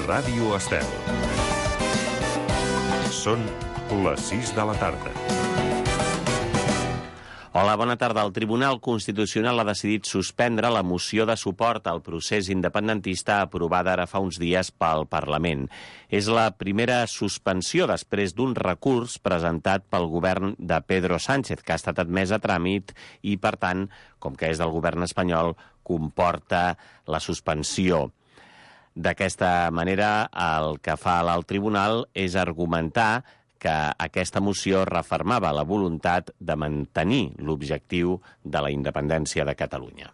Ràdio Estel. Són les 6 de la tarda. Hola, bona tarda. El Tribunal Constitucional ha decidit suspendre la moció de suport al procés independentista aprovada ara fa uns dies pel Parlament. És la primera suspensió després d'un recurs presentat pel govern de Pedro Sánchez, que ha estat admès a tràmit i, per tant, com que és del govern espanyol, comporta la suspensió. D'aquesta manera, el que fa l'alt tribunal és argumentar que aquesta moció refermava la voluntat de mantenir l'objectiu de la independència de Catalunya.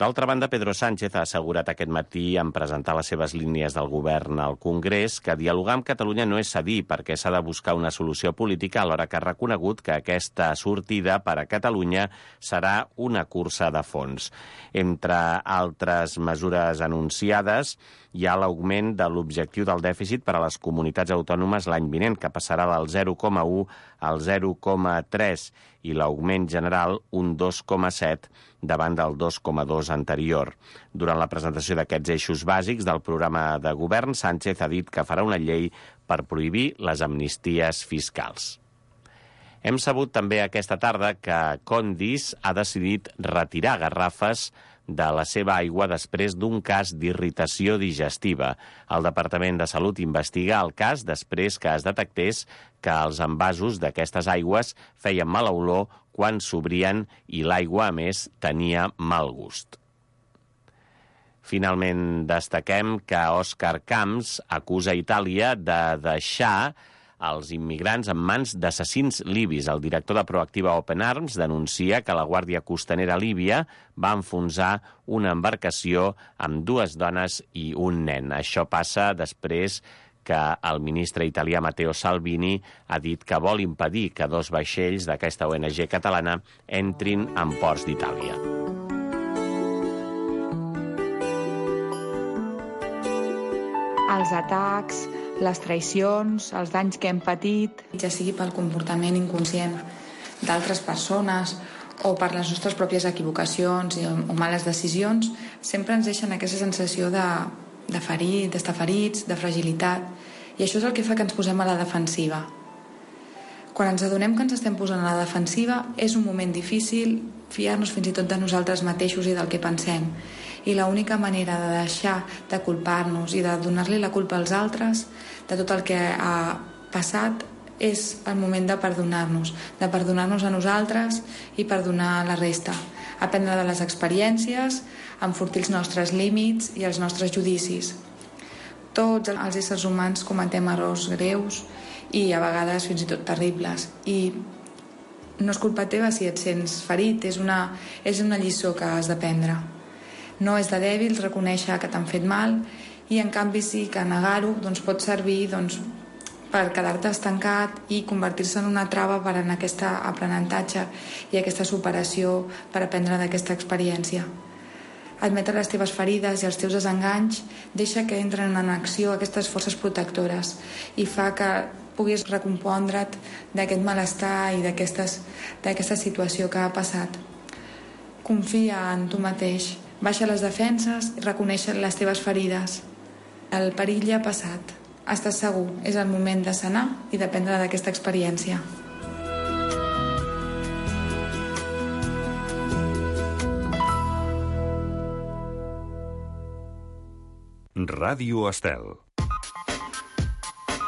D'altra banda, Pedro Sánchez ha assegurat aquest matí en presentar les seves línies del govern al Congrés que dialogar amb Catalunya no és cedir perquè s'ha de buscar una solució política, alhora que ha reconegut que aquesta sortida per a Catalunya serà una cursa de fons. Entre altres mesures anunciades, hi ha l'augment de l'objectiu del dèficit per a les comunitats autònomes l'any vinent, que passarà del 0,1 al 0,3 i l'augment general un 2,7 davant del 2,2 anterior. Durant la presentació d'aquests eixos bàsics del programa de govern, Sánchez ha dit que farà una llei per prohibir les amnisties fiscals. Hem sabut també aquesta tarda que Condis ha decidit retirar garrafes de la seva aigua després d'un cas d'irritació digestiva. El Departament de Salut investiga el cas després que es detectés que els envasos d'aquestes aigües feien mala olor quan s'obrien i l'aigua, a més, tenia mal gust. Finalment, destaquem que Òscar Camps acusa Itàlia de deixar els immigrants en mans d'assassins libis. El director de Proactiva Open Arms denuncia que la Guàrdia Costanera líbia va enfonsar una embarcació amb 2 dones i un nen. Això passa després que el ministre italià Matteo Salvini ha dit que vol impedir que 2 vaixells d'aquesta ONG catalana entrin en ports d'Itàlia. Els atacs, les traïcions, els danys que hem patit, ja sigui pel comportament inconscient d'altres persones o per les nostres pròpies equivocacions o males decisions, sempre ens deixen aquesta sensació d'estar ferits, de fragilitat, i això és el que fa que ens posem a la defensiva. Quan ens adonem que ens estem posant a la defensiva, és un moment difícil fiar-nos fins i tot de nosaltres mateixos i del que pensem. I l'única manera de deixar de culpar-nos i de donar-li la culpa als altres de tot el que ha passat és el moment de perdonar-nos a nosaltres i perdonar a la resta, aprendre de les experiències, enfortir els nostres límits i els nostres judicis. Tots els éssers humans cometem errors greus i a vegades fins i tot terribles, i no és culpa teva si et sents ferit, és una lliçó que has d'aprendre. No és de dèbils reconèixer que t'han fet mal, i en canvi sí que negar-ho pot servir per quedar-te estancat i convertir-se en una trava per en aquest aprenentatge i aquesta superació per aprendre d'aquesta experiència. Admetre les teves ferides i els teus desenganys deixa que entren en acció aquestes forces protectores i fa que puguis recompondre't d'aquest malestar i d'aquesta situació que ha passat. Confia en tu mateix, baixa les defenses i reconeix les teves ferides. El perill ja ha passat. Estàs segur, és el moment de sanar i d'aprendre d'aquesta experiència. Ràdio Estel.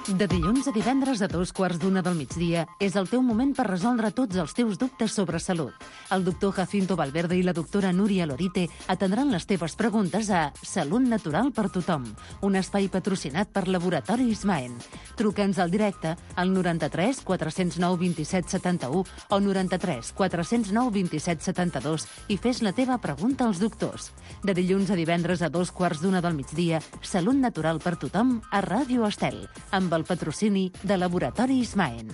De dilluns a divendres a 2:15 del migdia és el teu moment per resoldre tots els teus dubtes sobre salut. El doctor Jacinto Valverde i la doctora Núria Lorite atendran les teves preguntes a Salut Natural per Tothom, un espai patrocinat per Laboratori Ismaen. Truca'ns al directe al 93 409 27 71 o 93 409 27 72 i fes la teva pregunta als doctors. De dilluns a divendres a 2:15 del migdia, Salut Natural per Tothom a Ràdio Estel, amb el patrocini de Laboratori Ismaen.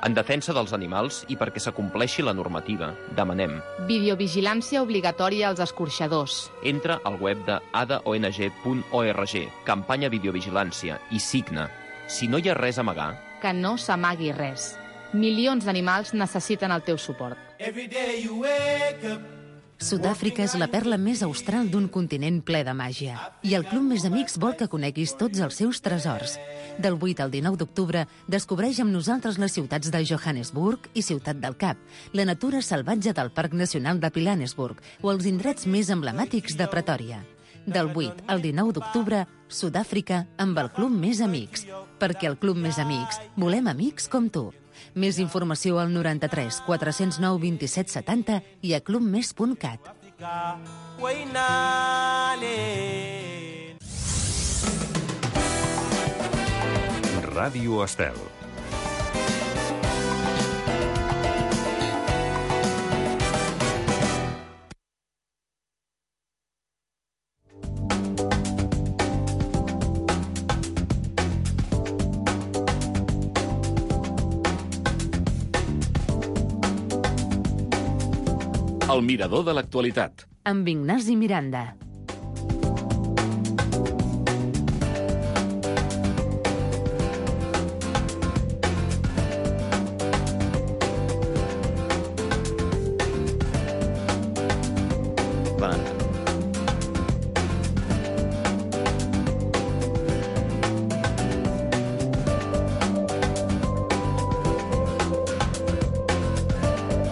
En defensa dels animals i perquè s'acompleixi la normativa, demanem videovigilància obligatòria als escorxadors. Entra al web de adaong.org, campanya videovigilància, i signa. Si no hi ha res a amagar, que no s'amagui res. Milions d'animals necessiten el teu suport. Every day you wake up, Sud-àfrica és la perla més austral d'un continent ple de màgia. I el Club Més Amics vol que coneguis tots els seus tresors. Del 8 al 19 d'octubre, descobreix amb nosaltres les ciutats de Johannesburg i Ciutat del Cap, la natura salvatge del Parc Nacional de Pilanesburg o els indrets més emblemàtics de Pretòria. Del 8 al 19 d'octubre, Sud-àfrica amb el Club Més Amics. Perquè el Club Més Amics volem amics com tu. Més informació al 93 409 27 70 i a clubmes.cat. Ràdio Estel. El mirador de l'actualitat. Amb Ignasi Miranda.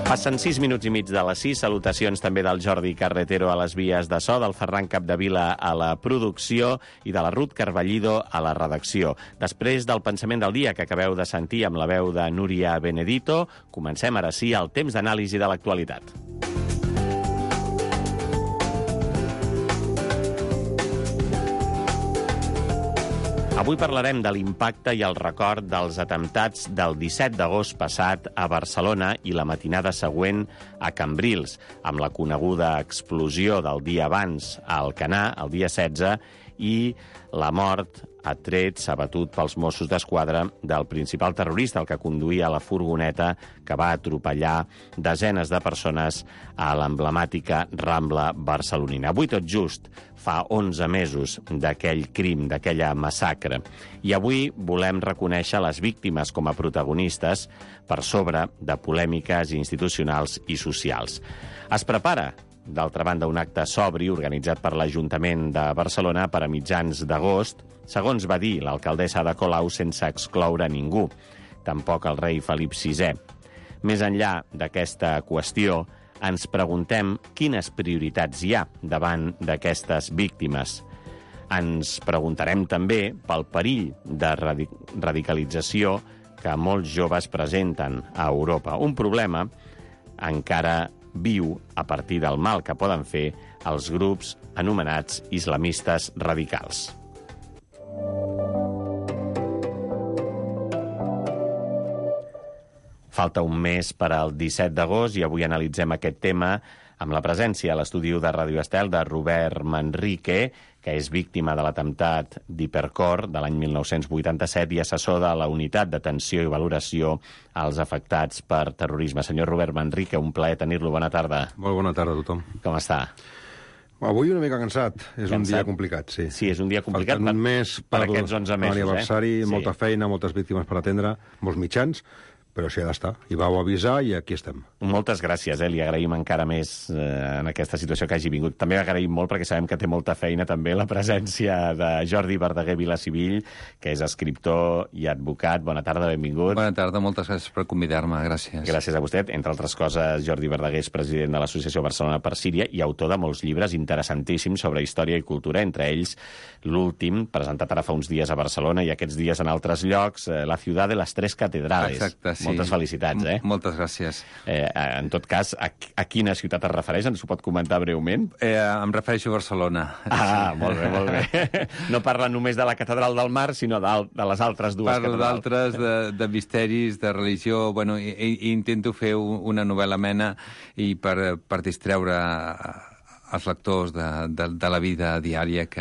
Passen 6 minuts i mig de les 6. Salutacions també del Jordi Carretero a les vies de so, del Ferran Capdevila a la producció i de la Ruth Carballido a la redacció. Després del pensament del dia que acabeu de sentir amb la veu de Núria Benedito, comencem ara sí el temps d'anàlisi de l'actualitat. Avui parlarem de l'impacte i el record dels atemptats del 17 d'agost passat a Barcelona i la matinada següent a Cambrils, amb la coneguda explosió del dia abans a Alcanar, el dia 16, i la mort a trets abatut pels Mossos d'Esquadra del principal terrorista, el que conduïa la furgoneta que va atropellar desenes de persones a l'emblemàtica Rambla barcelonina. Avui tot just fa 11 mesos d'aquell crim, d'aquella massacre. I avui volem reconèixer les víctimes com a protagonistes per sobre de polèmiques institucionals i socials. Es prepara, d'altra banda, un acte sobri organitzat per l'Ajuntament de Barcelona per a mitjans d'agost, segons va dir l'alcaldessa Ada Colau, sense excloure ningú, tampoc el rei Felip VI. Més enllà d'aquesta qüestió, ens preguntem quines prioritats hi ha davant d'aquestes víctimes. Ens preguntarem també pel perill de radicalització que molts joves presenten a Europa. Un problema encara viu a partir del mal que poden fer els grups anomenats islamistes radicals. Falta un mes per al 17 d'agost i avui analitzem aquest tema amb la presència a l'estudi de Ràdio Estel de Robert Manrique, que és víctima de l'atemptat d'Hipercor de l'any 1987 i assessor de la Unitat d'Atenció i Valoració als Afectats per Terrorisme. Senyor Robert Manrique, un plaer tenir-lo. Bona tarda. Molt bona tarda a tothom. Com està? Avui una mica cansat. És un dia complicat, sí. Sí, és un dia complicat un mes per aquests 11 mesos. L'aniversari, Sí. molta feina, moltes víctimes per atendre, molts mitjans, però s'hi ha d'estar. I vau avisar i aquí estem. Moltes gràcies, li agraïm encara més en aquesta situació que hagi vingut. També agraïm molt perquè sabem que té molta feina també la presència de Jordi Verdaguer Vilasivill, que és escriptor i advocat. Bona tarda, benvingut. Bona tarda, moltes gràcies per convidar-me, gràcies. Gràcies a vostè. Entre altres coses, Jordi Verdaguer és president de l'Associació Barcelona per Síria i autor de molts llibres interessantíssims sobre història i cultura, entre ells l'últim, presentat ara fa uns dies a Barcelona i aquests dies en altres llocs, La ciutat de les tres catedrales. Exacte, sí. Moltes felicitats, Moltes gràcies. En tot cas, a quina ciutat es refereix? Ens ho pot comentar breument? Em refereixo a Barcelona. Ah, molt bé, molt bé. No parla només de la Catedral del Mar, sinó de les altres dues catedrals. Parlo d'altres, de misteris, de religió. Bueno, i intento fer una novel·la amena i per distreure els lectors de la vida diària que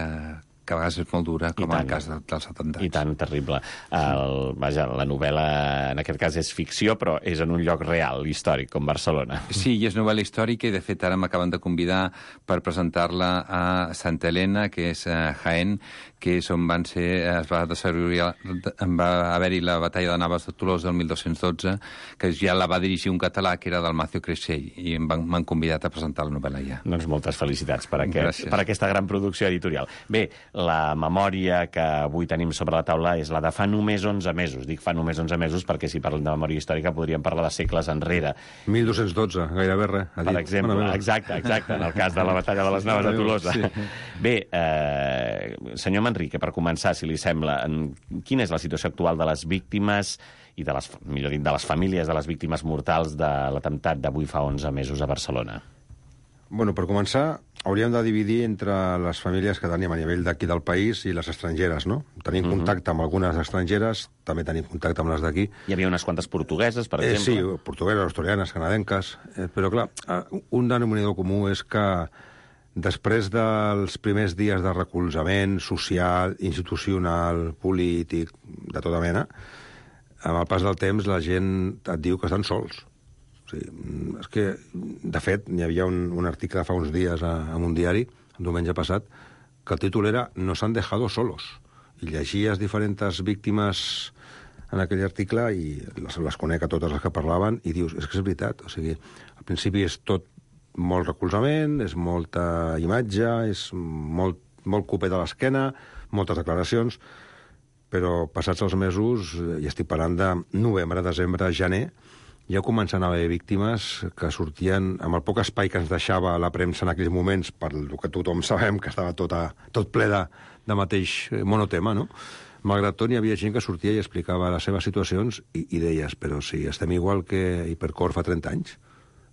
a vegades és molt dura, com en el cas dels atemptats. I tant, terrible. La novel·la, en aquest cas, és ficció, però és en un lloc real, històric, com Barcelona. Sí, i és novel·la històrica, i de fet ara m'acaben de convidar per presentar-la a Santa Helena, que és Jaén, que és on va haver-hi la batalla de Navas de Tolosa del 1212, que ja la va dirigir un català, que era Dalmacio Creixell, i m'han convidat a presentar la novel·la ja. Doncs moltes felicitats per aquesta gran producció editorial. Bé, la memòria que avui tenim sobre la taula és la de fa només 11 mesos. Dic fa només 11 mesos perquè si parlem de memòria històrica podríem parlar de segles enrere. 1212, gairebé res. Per exemple, exacte, en el cas de la batalla de les Navas de Tolosa. Sí. Bé, senyor Manrique, per començar, si li sembla, quina és la situació actual de les víctimes i de les famílies de les víctimes mortals de l'atemptat d'avui fa 11 mesos a Barcelona? Bueno, per començar, hauríem de dividir entre les famílies que tenim a nivell d'aquí del país i les estrangeres, no? Tenim contacte amb algunes estrangeres, també tenim contacte amb les d'aquí. Hi havia unes quantes portugueses, per exemple? Sí, portugueses, australianes, canadenques, però clar, un denominador comú és que després dels primers dies de recolzament social, institucional, polític, de tota mena, amb el pas del temps la gent et diu que estan sols. O sigui, és que, de fet, hi havia un article fa uns dies en un diari, el diumenge passat, que el títol era «Nos han dejado solos». I llegies diferents víctimes en aquell article i les conec a totes les que parlaven i dius, és que és veritat. O sigui, al principi és tot molt recolzament, és molta imatge, és molt copet a l'esquena, moltes declaracions, però passats els mesos, i estic parlant de novembre, desembre, gener, ja comencen a haver víctimes que sortien amb el poc espai que ens deixava la premsa en aquells moments, per el que tothom sabem que estava tot ple de mateix monotema, no? Malgrat tot, hi havia gent que sortia i explicava les seves situacions i deies, però si estem igual que Hipercor fa 30 anys.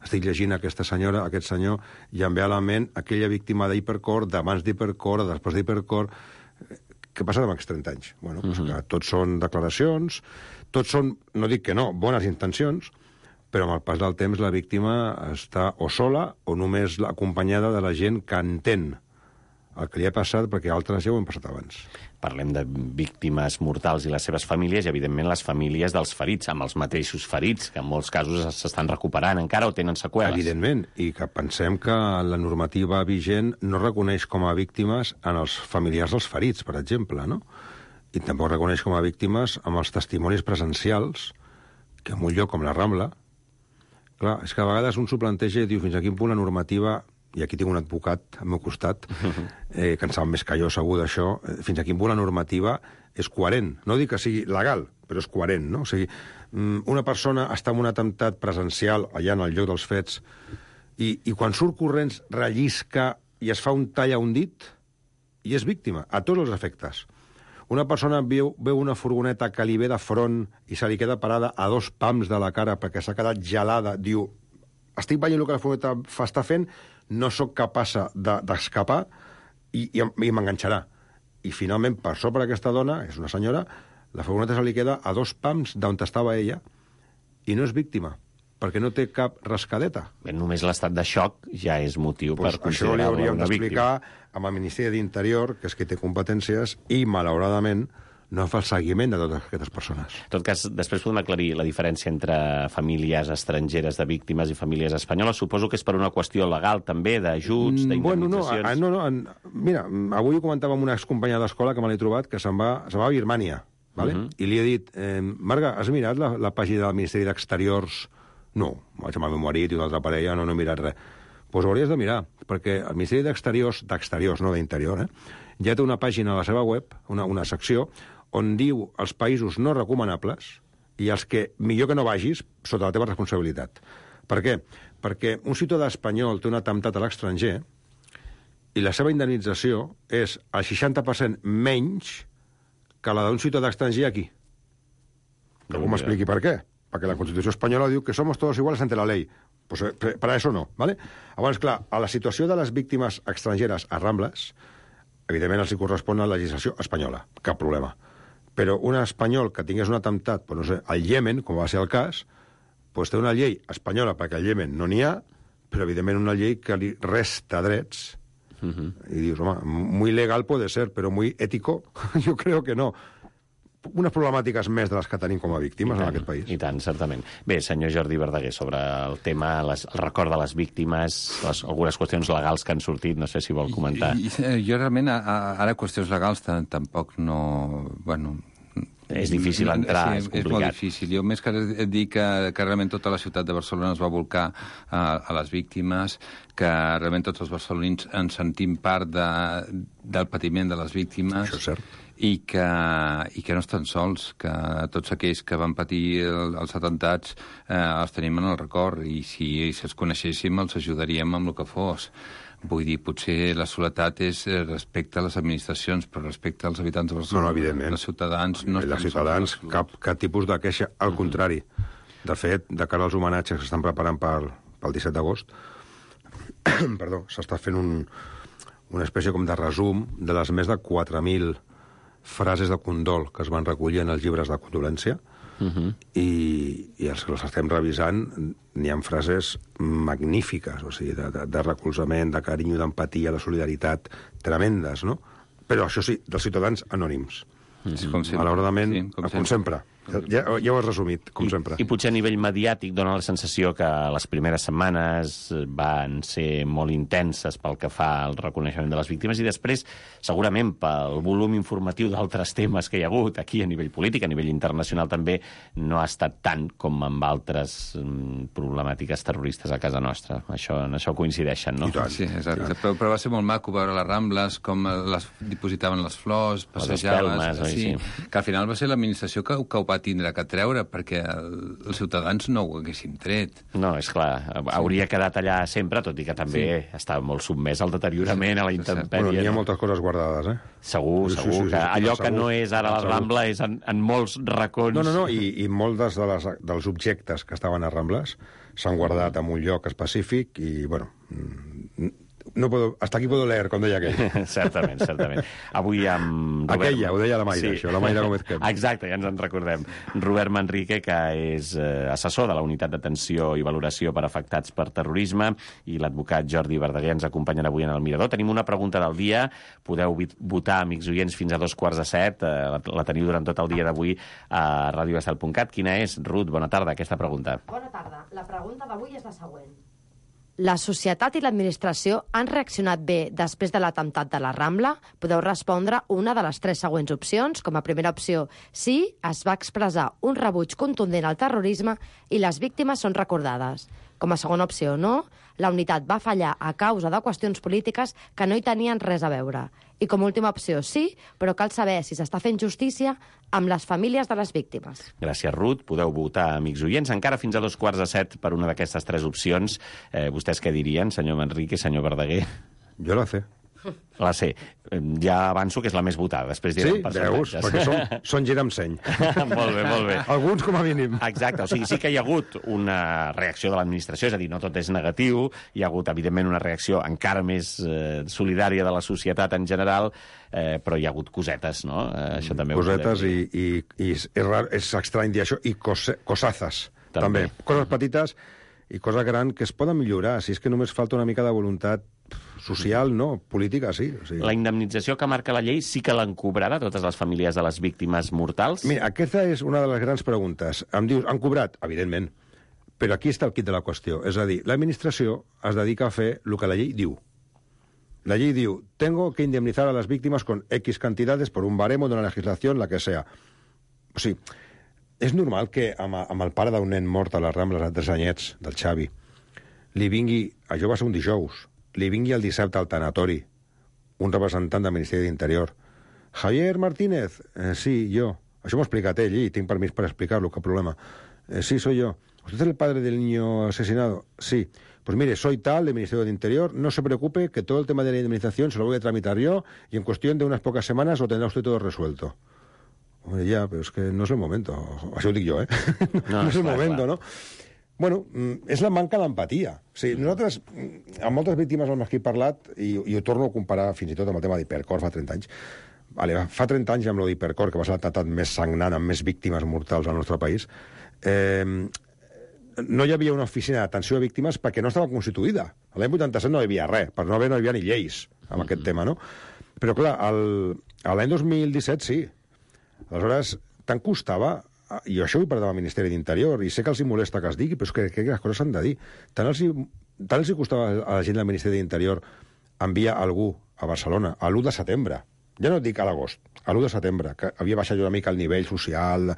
Estic llegint aquesta senyora, aquest senyor, i em ve a la ment aquella víctima d'Hipercor, d'abans d'Hipercor, després d'Hipercor. Què passa amb aquests 30 anys? Bueno, doncs que tots són declaracions, tots són, no dic que no, bones intencions, però amb el pas del temps la víctima està o sola o només acompanyada de la gent que entén el que li ha passat, perquè altres ja ho han passat abans. Parlem de víctimes mortals i les seves famílies i, evidentment, les famílies dels ferits, amb els mateixos ferits, que en molts casos s'estan recuperant encara o tenen seqüeles. Evidentment, i que pensem que la normativa vigent no reconeix com a víctimes en els familiars dels ferits, per exemple, no? I tampoc reconeix com a víctimes amb els testimonis presencials, que en un lloc com la Rambla... Clar, és que a vegades un s'ho planteja i diu fins a quin punt la normativa... i aquí tinc un advocat al meu costat, que en sap més que jo segur d'això, fins a quin punt la normativa és coherent. No dic que sigui legal, però és coherent, no? O sigui, una persona està en un atemptat presencial allà en el lloc dels fets i quan surt corrents rellisca i es fa un tall a un dit i és víctima, a tots els efectes. Una persona veu una furgoneta que li ve de front i se li queda parada a 2 pams de la cara perquè s'ha quedat gelada, diu, estic veient el que la furgoneta està fent, no sóc capaç d'escapar i m'enganxarà. I finalment, per sobre aquesta dona, és una senyora, la furgoneta se li queda a 2 pams d'on estava ella i no és víctima, perquè no té cap rascadeta. Bé, només l'estat de xoc ja és motiu per considerar-la una víctima. Això li hauríem d'explicar amb el Ministeri d'Interior, que és qui té competències, i, malauradament, no fa el seguiment de totes aquestes persones. En tot cas, després podem aclarir la diferència entre famílies estrangeres de víctimes i famílies espanyoles. Suposo que és per una qüestió legal, també, d'ajuts, d'indemnitzacions... Bueno, no. Mira, avui ho comentava amb una excompanya d'escola que me l'he trobat, que se'n va a Birmània, ¿vale? I li he dit, Marga, has mirat la pàgina del Ministeri d'Exteriors? No, vaig amb el meu marit i una altra parella, no he mirat res. Doncs ho hauries de mirar, perquè el Ministeri d'Exteriors, no d'Interior, ja té una pàgina a la seva web, una secció, on diu els països no recomanables i els que millor que no vagis sota la teva responsabilitat. Per què? Perquè un ciutadà espanyol té un atemptat a l'estranger i la seva indemnització és el 60% menys que la d'un ciutadà estranger aquí. Que m'expliqui per què. Perquè la Constitució espanyola diu que somos todos iguales ante la ley. Pues para eso no, ¿vale? Llavors, clar, a la situació de les víctimes estrangeres a Rambles, evidentment els hi correspon a la legislació espanyola. Cap problema. Però un espanyol que tingués un atemptat, pues no sé, al Iemen, com va ser el cas, pues té una llei espanyola perquè al Iemen no n'hi ha, però evidentment una llei que li resta drets. I dius, home, muy legal puede ser, pero muy ético, yo creo que no. unes problemàtiques més de les que tenim com a víctimes en aquest país. I tant, certament. Bé, senyor Jordi Verdaguer, sobre el tema, el record de les víctimes, algunes qüestions legals que han sortit, no sé si vol comentar. Jo realment, ara qüestions legals tampoc no... Bueno, és difícil entrar, és complicat. És molt difícil. Jo més que dir que realment tota la ciutat de Barcelona es va volcar a les víctimes, que realment tots els barcelonins ens sentim part del patiment de les víctimes. Això és cert. I que no estan sols, que tots aquells que van patir els atemptats els tenim en el record, i si els coneixéssim els ajudaríem amb el que fos. Vull dir, potser la soledat és respecte a les administracions, però respecte als habitants de Barcelona. No, evidentment. Els ciutadans no estan sols. Els ciutadans, cap tipus de queixa, al contrari. De fet, de cara als homenatges que s'estan preparant pel 17 d'agost, perdó, s'està fent una espècie com de resum de les més de 4.000 frases de condol que es van recollir en els llibres de condolència, i els que els estem revisant n'hi ha frases magnífiques, o sigui, de recolzament, de carinyo, d'empatia, de solidaritat, tremendes, no? Però això sí, dels ciutadans anònims. Malauradament, com sempre. Ja ho has resumit, com sempre. I potser a nivell mediàtic dona la sensació que les primeres setmanes van ser molt intenses pel que fa al reconeixement de les víctimes, i després, segurament, pel volum informatiu d'altres temes que hi ha hagut aquí a nivell polític, a nivell internacional també, no ha estat tant com amb altres problemàtiques terroristes a casa nostra. En això coincideixen, no? Sí, exacte. Però va ser molt maco veure les Rambles, com les dipositaven les flors, passejaves... Sí, que al final va ser l'administració que ho va tindre que treure, perquè els ciutadans no ho haguessin tret. No, és clar, hauria quedat allà sempre, tot i que també estava molt sotmès al deteriorament, a la intempèrie. Bueno, n'hi ha moltes coses guardades, Segur, que allò que no és ara la Rambla és en molts racons. No, i molts dels objectes que estaven a Rambles s'han guardat en un lloc específic i, bueno... hasta aquí puedo leer, com deia aquell. Certament. Avui amb Robert... Aquella, ho deia la Mayra, això, la Mayra Gómez Kemp. Exacte, ja ens en recordem. Robert Manrique, que és assessor de la Unitat d'Atenció i Valoració per Afectats per Terrorisme, i l'advocat Jordi Verdaguer ens acompanyen avui en el Mirador. Tenim una pregunta del dia. Podeu votar, amics oients, fins a 6:45. La teniu durant tot el dia d'avui a radioestel.cat. Quina és, Ruth? Bona tarda, aquesta pregunta. Bona tarda. La pregunta d'avui és la següent. La societat i l'administració han reaccionat bé després de l'atemptat de la Rambla? Podeu respondre una de les 3 següents opcions. Com a primera opció, sí, es va expressar un rebuig contundent al terrorisme i les víctimes són recordades. Com a segona opció, no, la unitat va fallar a causa de qüestions polítiques que no hi tenien res a veure. I com a última opció, sí, però cal saber si s'està fent justícia amb les famílies de les víctimes. Gràcies, Ruth. Podeu votar, amics oients, encara fins a 6:45 per una d'aquestes 3 opcions. Vostès què dirien, senyor Manrique, senyor Verdaguer? Jo la sé. La C. Ja avanço que és la més votada. Després direm percentatges. Sí, veus, perquè són gira amb seny. Molt bé. Alguns com a mínim. Exacte, o sigui, sí que hi ha hagut una reacció de l'administració, és a dir, no tot és negatiu, hi ha hagut, evidentment, una reacció encara més solidària de la societat en general, però hi ha hagut cosetes, no? Això també cosetes i és estrany dir això, i cosazas, també. Coses petites i coses grans que es poden millorar, si és que només falta una mica de voluntat social, no, política, sí. O sigui. La indemnització que marca la llei sí que l'han cobrat a totes les famílies de les víctimes mortals? Mira, aquesta és una de les grans preguntes. Em dius, han cobrat? Evidentment. Però aquí està el quid de la qüestió. És a dir, l'administració es dedica a fer el que la llei diu. La llei diu, tengo que indemnizar a las víctimas con X cantidades por un baremo de una legislación, la que sea. O sigui, és normal que amb el pare d'un nen mort a les Rambles a 3 anyets, del Xavi, li vingui, això va ser un dijous, li vingui el dissabte al tanatori un representant del Ministeri d'Interior. Javier Martínez, sí, yo. Això m'ho ha explicat ell i tinc permís per explicar-lo, cap problema. Sí, soy yo. ¿Usted es el padre del niño asesinado? Sí. Pues mire, soy tal del Ministerio del Interior, no se preocupe que todo el tema de la indemnización se lo voy a tramitar yo y en cuestión de unas pocas semanas lo tendrá usted todo resuelto. Hombre, ya, pero es que no es el momento. Això ho dic jo, No és el moment, no? Bueno, és la manca d'empatia. O sigui, nosaltres, amb moltes víctimes amb les que he parlat, i ho torno a comparar fins i tot amb el tema d'Hipercor fa 30 anys, fa 30 anys amb lo d'Hipercor, que va ser l'atemptat més sagnant amb més víctimes mortals al nostre país, no hi havia una oficina d'atenció a víctimes perquè no estava constituïda. A l'any 87 no hi havia res, per no hi havia ni lleis amb aquest tema, no? Però clar, l'any 2017 sí. Aleshores, tant costava, i això ho he parlat amb el Ministeri d'Interior, i sé que els hi molesta que es digui, però és que les coses s'han de dir. Tant els hi costava a la gent del Ministeri d'Interior enviar algú a Barcelona a l'1 de setembre, ja no et dic a l'agost, a l'1 de setembre, que havia baixat una mica el nivell social,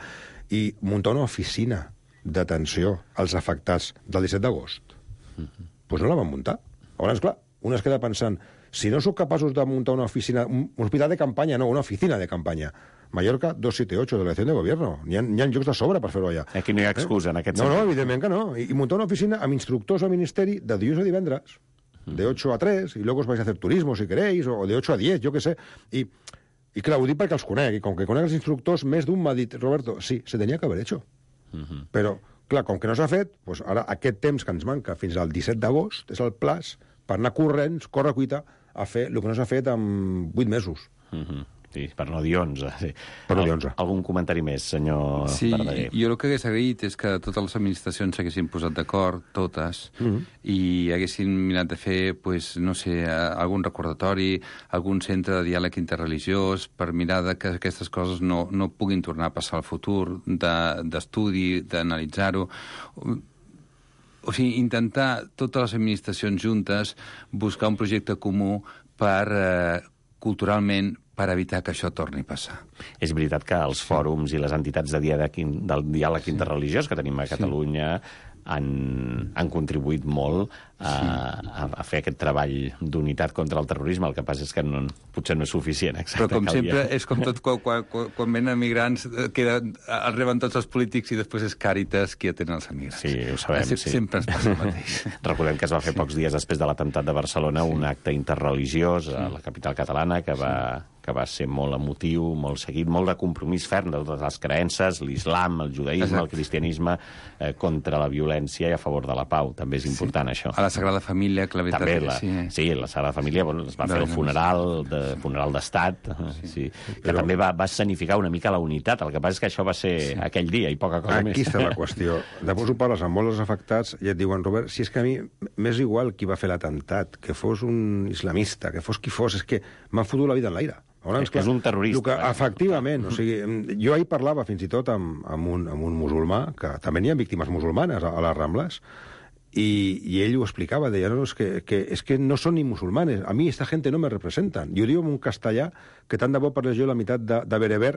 i muntar una oficina d'atenció als afectats del 17 d'agost. Doncs no la van muntar. Llavors, clar, un es queda pensant, si no sóc capaços de muntar una oficina, un hospital de campanya, no, una oficina de campanya, Mallorca 278, delegació de gobierno. N'hi ha llocs de sobre per fer-ho allà. Aquí no hi ha excusa, en aquest sentit. No, evidentment que no. I muntar una oficina amb instructors al Ministeri de dilluns a divendres, de 8 a 3, y luego os vais a hacer turismo, si queréis, o de 8 a 10, jo què sé. I clar, ho dic perquè els conec, i com que conec els instructors, més d'un m'ha dit, Roberto, sí, se tenia que haver hecho. Però, clar, com que no s'ha fet, doncs ara aquest temps que ens manca fins al 17 d'agost és el plaç per anar corrents, corre cuita, a fer el que no s'ha fet en 8 mesos. Sí, per no dir 11. Sí. Per no dir 11. Algun comentari més, senyor Verdaguer? Jo el que hagués agraït és que totes les administracions s'haguessin posat d'acord, totes, i haguessin mirat de fer, pues, no sé, algun recordatori, algun centre de diàleg interreligiós, per mirar que aquestes coses no puguin tornar a passar al futur, d'estudi, d'analitzar-ho. O sigui, intentar totes les administracions juntes buscar un projecte comú per, culturalment, per evitar que això torni a passar. És veritat que els fòrums i les entitats del diàleg interreligiós que tenim a Catalunya han contribuït molt a fer aquest treball d'unitat contra el terrorisme. El que passa és que potser no és suficient. Exacte, però com sempre, és com tot, quan venen emigrants, els reben tots els polítics i després és Càritas qui atén els emigrants. Sí, ho sabem. Sempre ens passa el mateix. Recordem que es va fer pocs dies després de l'atemptat de Barcelona un acte interreligiós a la capital catalana que va ser molt emotiu, molt seguit, molt de compromís ferm de totes les creences, l'islam, el judaïsme, el cristianisme, contra la violència i a favor de la pau. També és important, això. A la Sagrada Família, que la veritat... També, sí, la Sagrada Família, es va fer el funeral d'estat, que també va escenificar una mica la unitat. El que passa és que això va ser aquell dia i poca cosa més. Aquí està la qüestió. Després ho parles amb molts afectats i et diuen, Robert, si és que a mi m'és igual qui va fer l'atemptat, que fos un islamista, que fos qui fos, és que m'han fotut la vida en l'aire. És un terrorista. Efectivament. O sigui, jo ahir parlava fins i tot amb un musulmà, que també n'hi ha víctimes musulmanes a les Rambles, i ell ho explicava, deia, no, és que no són ni musulmanes, a mi esta gente no me representan. I ho diu en un castellà que tant de bo parles jo la meitat de bereber,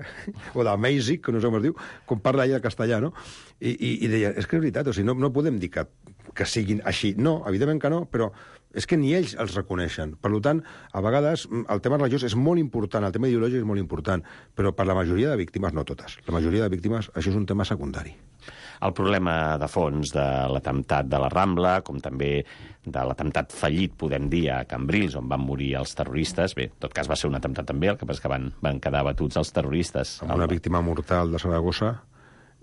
o d'amazig, que no sé com es diu, com parla ell el castellà, no? I deia, és que és veritat, o sigui, no podem dir que siguin així. No, evidentment que no, però és que ni ells els reconeixen. Per tant, a vegades el tema religiós és molt important, el tema ideològic és molt important, però per la majoria de víctimes, no totes, la majoria de víctimes, això és un tema secundari. El problema de fons de l'atemptat de la Rambla, com també de l'atemptat fallit, podem dir, a Cambrils, on van morir els terroristes. Bé, en tot cas va ser un atemptat també, el que passa és que van quedar abatuts els terroristes. Amb una víctima mortal de Saragossa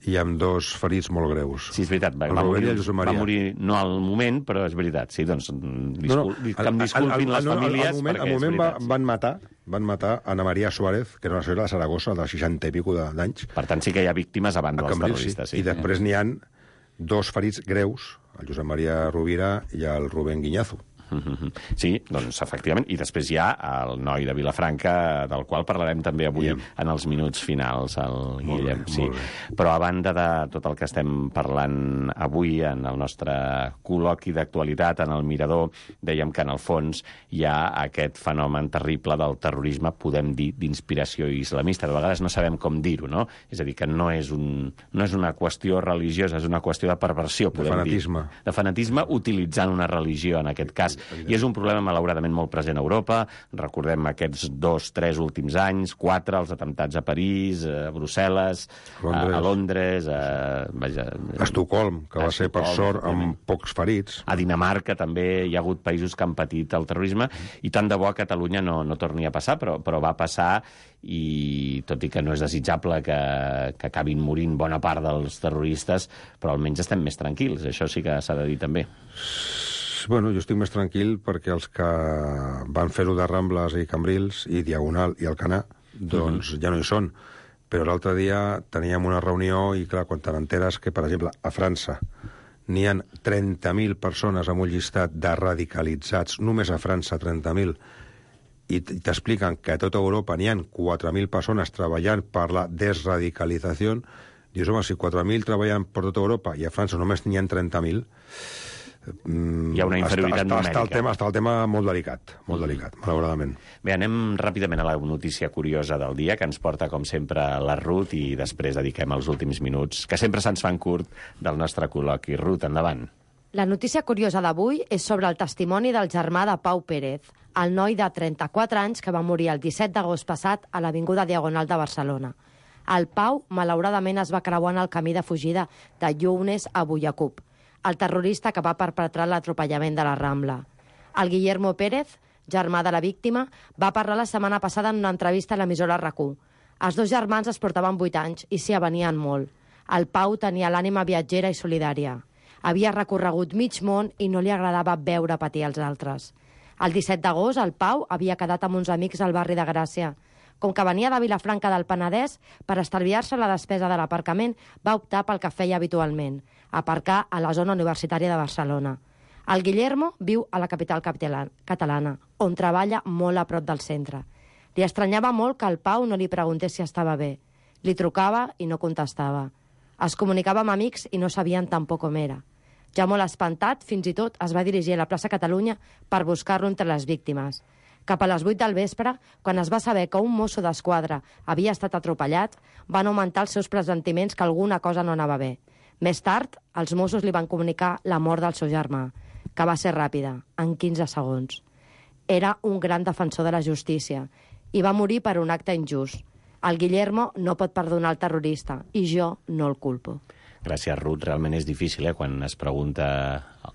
i amb 2 ferits molt greus. Sí, és veritat. Va morir no al moment, però és veritat. Sí, doncs, que em disculpin les famílies, perquè és veritat. Van matar Ana María Suárez, que era una senyora de Saragossa, de 60 i pico d'anys. Per tant, sí que hi ha víctimes a banda dels terroristes. I després n'hi ha 2 ferits greus, el Josep Maria Rovira i el Rubén Guiñazo. Sí, doncs efectivament. I després hi ha el noi de Vilafranca, del qual parlarem també avui en els minuts finals, el Guillem. Sí. Però a banda de tot el que estem parlant avui en el nostre col·loqui d'actualitat, en el Mirador, dèiem que en el fons hi ha aquest fenomen terrible del terrorisme, podem dir, d'inspiració islamista. De vegades no sabem com dir-ho, no? És a dir, que no és una qüestió religiosa, és una qüestió de perversió, podem dir. De fanatisme, utilitzant una religió, en aquest cas. I és un problema, malauradament, molt present a Europa. Recordem aquests 2-3 últims anys, 4, els atemptats a París, a Brussel·les, a Londres, a Estocolm, que va ser, per sort, amb pocs ferits. A Dinamarca també hi ha hagut països que han patit el terrorisme, i tant de bo a Catalunya no torni a passar, però va passar, i tot i que no és desitjable que acabin morint bona part dels terroristes, però almenys estem més tranquils. Això sí que s'ha de dir també. Bueno, jo estic més tranquil perquè els que van fer-ho de Rambles i Cambrils i Diagonal i Alcanar, doncs ja no hi són. Però l'altre dia teníem una reunió i, clar, quan te n'enteres que, per exemple, a França n'hi ha 30.000 persones amb un llistat de radicalitzats, només a França 30.000, i t'expliquen que a tota Europa n'hi ha 4.000 persones treballant per la desradicalització, dius, home, si 4.000 treballen per tota Europa i a França només n'hi ha 30.000... Hi ha una inferioritat numèrica. Està el tema molt delicat, malauradament. Bé, anem ràpidament a la notícia curiosa del dia, que ens porta, com sempre, la Ruth, i després dediquem els últims minuts, que sempre se'ns fan curt, del nostre col·loqui. Ruth, endavant. La notícia curiosa d'avui és sobre el testimoni del germà de Pau Pérez, el noi de 34 anys que va morir el 17 d'agost passat a l'Avinguda Diagonal de Barcelona. El Pau, malauradament, es va creuar en el camí de fugida de Younes a Buyacup, el terrorista que va perpetrar l'atropellament de la Rambla. El Guillermo Pérez, germà de la víctima, va parlar la setmana passada en una entrevista a l'emissora RAC1. Els dos germans es portaven 8 anys i s'hi avenien molt. El Pau tenia l'ànima viatgera i solidària. Havia recorregut mig món i no li agradava veure patir els altres. El 17 d'agost, el Pau havia quedat amb uns amics al barri de Gràcia. Com que venia de Vilafranca del Penedès, per estalviar-se la despesa de l'aparcament, va optar pel que feia habitualment, aparcar a la zona universitària de Barcelona. El Guillermo viu a la capital catalana, on treballa molt a prop del centre. Li estranyava molt que el Pau no li preguntés si estava bé. Li trucava i no contestava. Es comunicava amb amics i no sabien tampoc com era. Ja molt espantat, fins i tot es va dirigir a la plaça Catalunya per buscar-lo entre les víctimes. Cap a les 8 del vespre, quan es va saber que un mosso d'esquadra havia estat atropellat, van augmentar els seus pressentiments que alguna cosa no anava bé. Més tard, els Mossos li van comunicar la mort del seu germà, que va ser ràpida, en 15 segons. Era un gran defensor de la justícia i va morir per un acte injust. El Guillermo no pot perdonar el terrorista i jo no el culpo. Gràcies, Ruth. Realment és difícil, quan es pregunta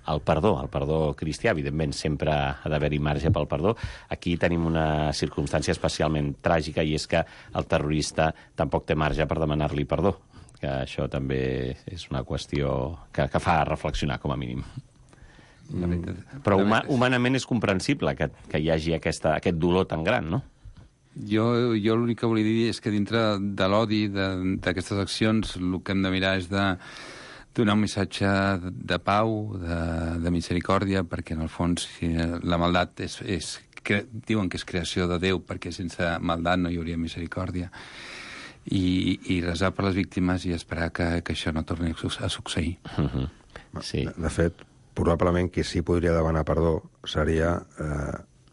el perdó cristià. Evidentment, sempre ha d'haver-hi marge pel perdó. Aquí tenim una circumstància especialment tràgica, i és que el terrorista tampoc té marge per demanar-li perdó. Que això també és una qüestió que fa reflexionar, com a mínim. Però humanament és comprensible que hi hagi aquest dolor tan gran, no? Jo l'únic que volia dir és que dintre de l'odi d'aquestes accions el que hem de mirar és de donar un missatge de pau, de misericòrdia, perquè en el fons la maldat diuen que és creació de Déu, perquè sense maldat no hi hauria misericòrdia, i resar per les víctimes i esperar que això no torni a succeir. Sí. De fet, probablement qui sí podria demanar perdó seria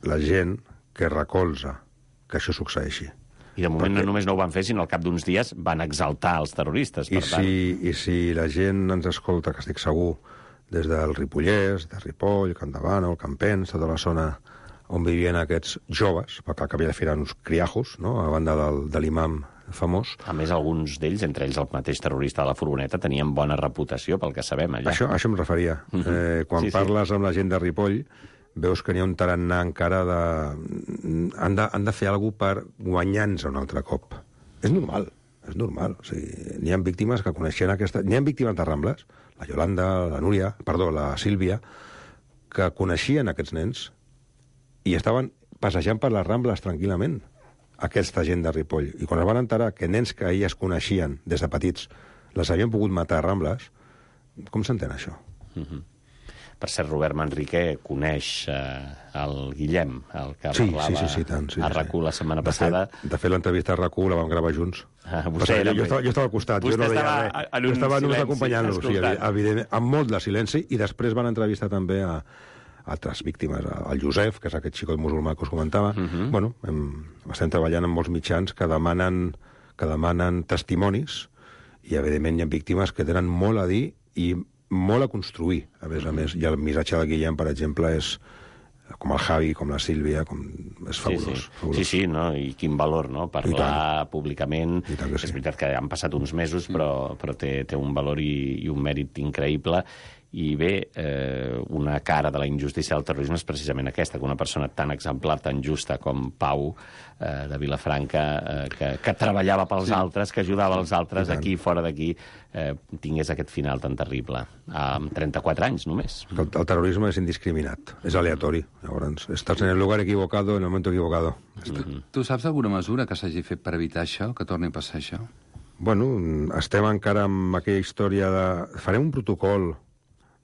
la gent que recolza que això succeeixi. I de moment no només no ho van fer, sinó al cap d'uns dies van exaltar els terroristes. I si la gent ens escolta, que estic segur, des del Ripollès, de Ripoll, Campdevànol, el Campens, tota la zona on vivien aquests joves, perquè al cap i a la fi eren uns criajos, no?, a banda de l'imam famós. A més, alguns d'ells, entre ells el mateix terrorista de la furgoneta, tenien bona reputació, pel que sabem allà. Això em referia. Quan parles amb la gent de Ripoll, veus que n'hi ha un tarannà encara de... Han de fer alguna cosa per guanyar-nos un altre cop. És normal. O sigui, n'hi ha víctimes que coneixien aquesta... N'hi ha víctimes de Rambles, la Yolanda, la Sílvia, que coneixien aquests nens i estaven passejant per les Rambles tranquil·lament, aquesta gent de Ripoll. I quan es van enterar que nens que elles coneixien des de petits les havien pogut matar a Rambles, com s'entén això? Per cert, Robert Manrique coneix el Guillem, el que parlava a RAC1 la setmana passada. De fet, l'entrevista a RAC1 la vam gravar junts. Jo estava al costat, jo no deia res. Jo estava només acompanyant-los, evidentment, amb molt de silenci, i després van entrevistar també a altres víctimes, el Josep, que és aquest xicot musulmà que us comentava. Bueno, estem treballant amb molts mitjans que demanen testimonis, i evidentment hi ha víctimes que tenen molt a dir i molt a construir, a més. I el missatge del Guillem, per exemple, és com el Javi, com la Sílvia, és fabulós. Sí, no? I quin valor, no? Parlar públicament. És veritat que han passat uns mesos, però té un valor i un mèrit increïble. I bé, una cara de la injustícia del terrorisme és precisament aquesta, que una persona tan exemplar, tan justa com Pau de Vilafranca, que treballava pels altres, que ajudava els altres aquí i fora d'aquí, tingués aquest final tan terrible. Amb 34 anys, només. El terrorisme és indiscriminat, és aleatori. Llavors, estàs en el lugar equivocado, en el moment equivocado. Tu saps alguna mesura que s'hagi fet per evitar això, que torni a passar això? Bueno, estem encara amb aquella història de... Farem un protocol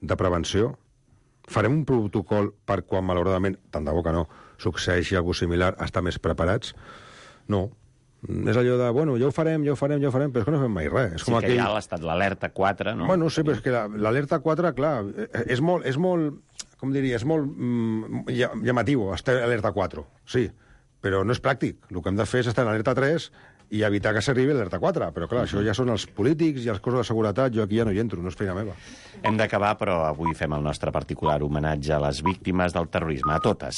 de prevenció, Farem un protocol per quan, malauradament, tant de bo que no, succeeixi alguna similar, estar més preparats? No. És allò de, bueno, ja ho farem, però és que no fem mai res. És sí, que ja ha estat l'alerta 4, no? Bueno, sí, però és que l'alerta 4, clar, és molt, com diria, és molt llamatiu, estar a l'alerta 4, sí, però no és pràctic. El que hem de fer és estar en l'alerta 3 i evitar que s'arribi a l'alerta 4. Però, clar, això ja són els polítics i els cossos de seguretat. Jo aquí ja no hi entro, no és feina meva. Hem d'acabar, però avui fem el nostre particular homenatge a les víctimes del terrorisme, a totes.